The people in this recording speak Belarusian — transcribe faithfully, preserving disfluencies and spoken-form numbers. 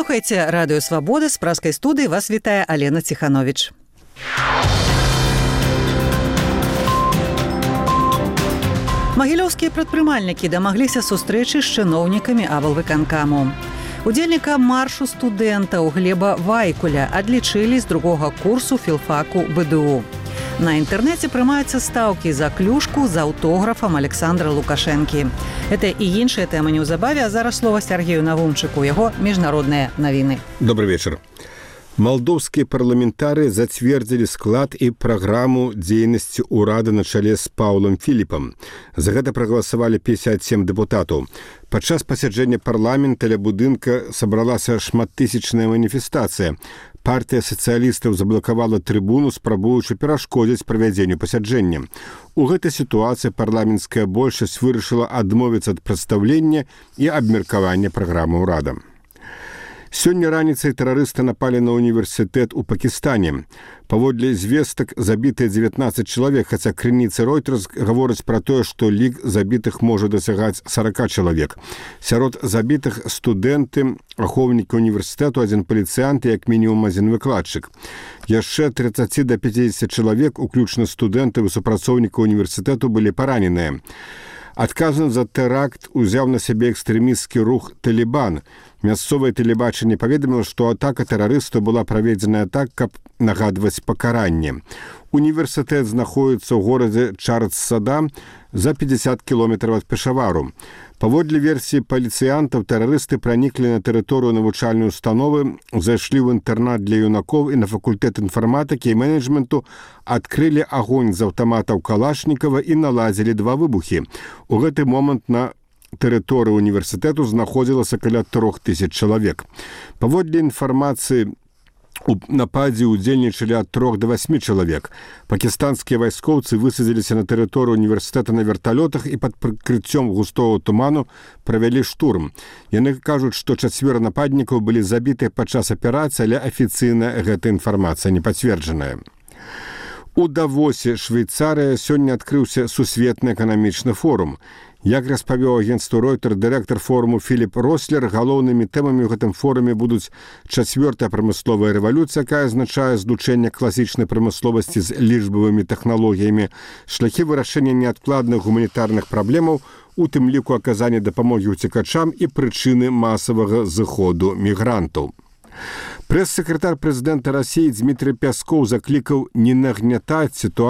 Слухайце радыё Свабода, з праскай студыі вас вітае Алена Ціхановіч. Магілёўскія прадпрымальнікі дамагліся сустрэчы з чыноўнікамі аблвыканкаму. Удзельніка маршу студэнтаў Глеба Вайкуля адлічылі з другога курсу філфаку бэ дэ у. На інтэрнэце прымаюцца стаўкі за клюшку з аўтографам Александра Лукашэнкі. Гэта і іншыя тэмы неўзабаве, а зараз слова Сергею Навумчыку, яго міжнародныя навіны. Добрый вечар. Малдоўскія парламентары зацвердзілі склад і праграму дзейнасці ўрада на чале з Паўлам Філіпам. За гэта прагаласавалі пятьдесят семь дэпутатаў. Падчас пасяджэння парламента ля будынка сабралася шматтысячная маніфестацыя. Партыя сацыялістаў заблакавала трыбуну, спрабуючы перашкодзіць правядзенню пасяджэння. У гэтай сітуацыі парламенцкая большасць вырашыла адмовіцца ад прадстаўлення і абмеркавання праграмы ўрада. Сёння раніцай тэрарысты напалі на універсітэт у Пакістане. Паводле звестак забітыя дзевятнаццаць чалавек, хаця крыніцы Reuters гавораць пра тое, што лік забітых можа дасягаць сорок чалавек. Сярод забітых студэнты, ахоўнікі універсітэту, адзін паліцыянт і як мінімум адзін выкладчык. Яшчэ тридцать до пятидесяти чалавек, уключна студэнтаў і супрацоўнікаў універсітэту, былі параненыя. Адказны за тэракт узяў на сябе экстрэмісцкі рух «Талібан». Мясцовае тэлебачанне паведаміла, што атака тэрарыстаў была праведзеная так, каб нагадваць пакаранне. Універсітэт знаходіцца ў горадзе Чардсада за пятьдесят кіламетраў ад Пешавару. Паводле версіі паліцыянтаў, тэрарысты праніклі на тэрыторыю навучальнай установы, зайшлі ў інтэрнат для юнакоў і на факультэт інфарматыкі і менеджменту, адкрылі агонь з аўтаматаў Калашнікава і наладзілі два выбухі. У гэты момант на тэрыторыі універсітэту знаходзілася каля трох тысяч чалавек. Паводле інфармацыі, у нападзе удзельнічалі ад трох до восьми чалавек. Пакістанскія вайскоўцы высадзіліся на тэрыторыю універсітэта на верталётах і пад прыкрыццём густого туману правялі штурм. Яны кажуць, што чацвёра нападнікаў былі забітыя падчас аперацыі, але афіцыйна гэта інфармацыя не пацверджаная. У Давосе, Швейцарыя, сёння адкрыўся сусветны эканамічны форум. Як распавёў агенцтву Reuters дырэктар форуму Філіп Рослер, галоўнымі тэмамі ў гэтым форуме будуць чацвёртая прамысловая рэвалюцыя, якая азначае злучэнне класічнай прамысловасці з лічбавымі тэхналогіямі, шляхі вырашэння неадкладных гуманітарных праблемаў, у тым ліку аказання дапамогі ўцекачам і прычыны масавага зыходу мігрантаў. Прэс-сакратар прэзідэнта Расіі Дмітрый Пяскоў заклікаў не нагнятаць сітуацыю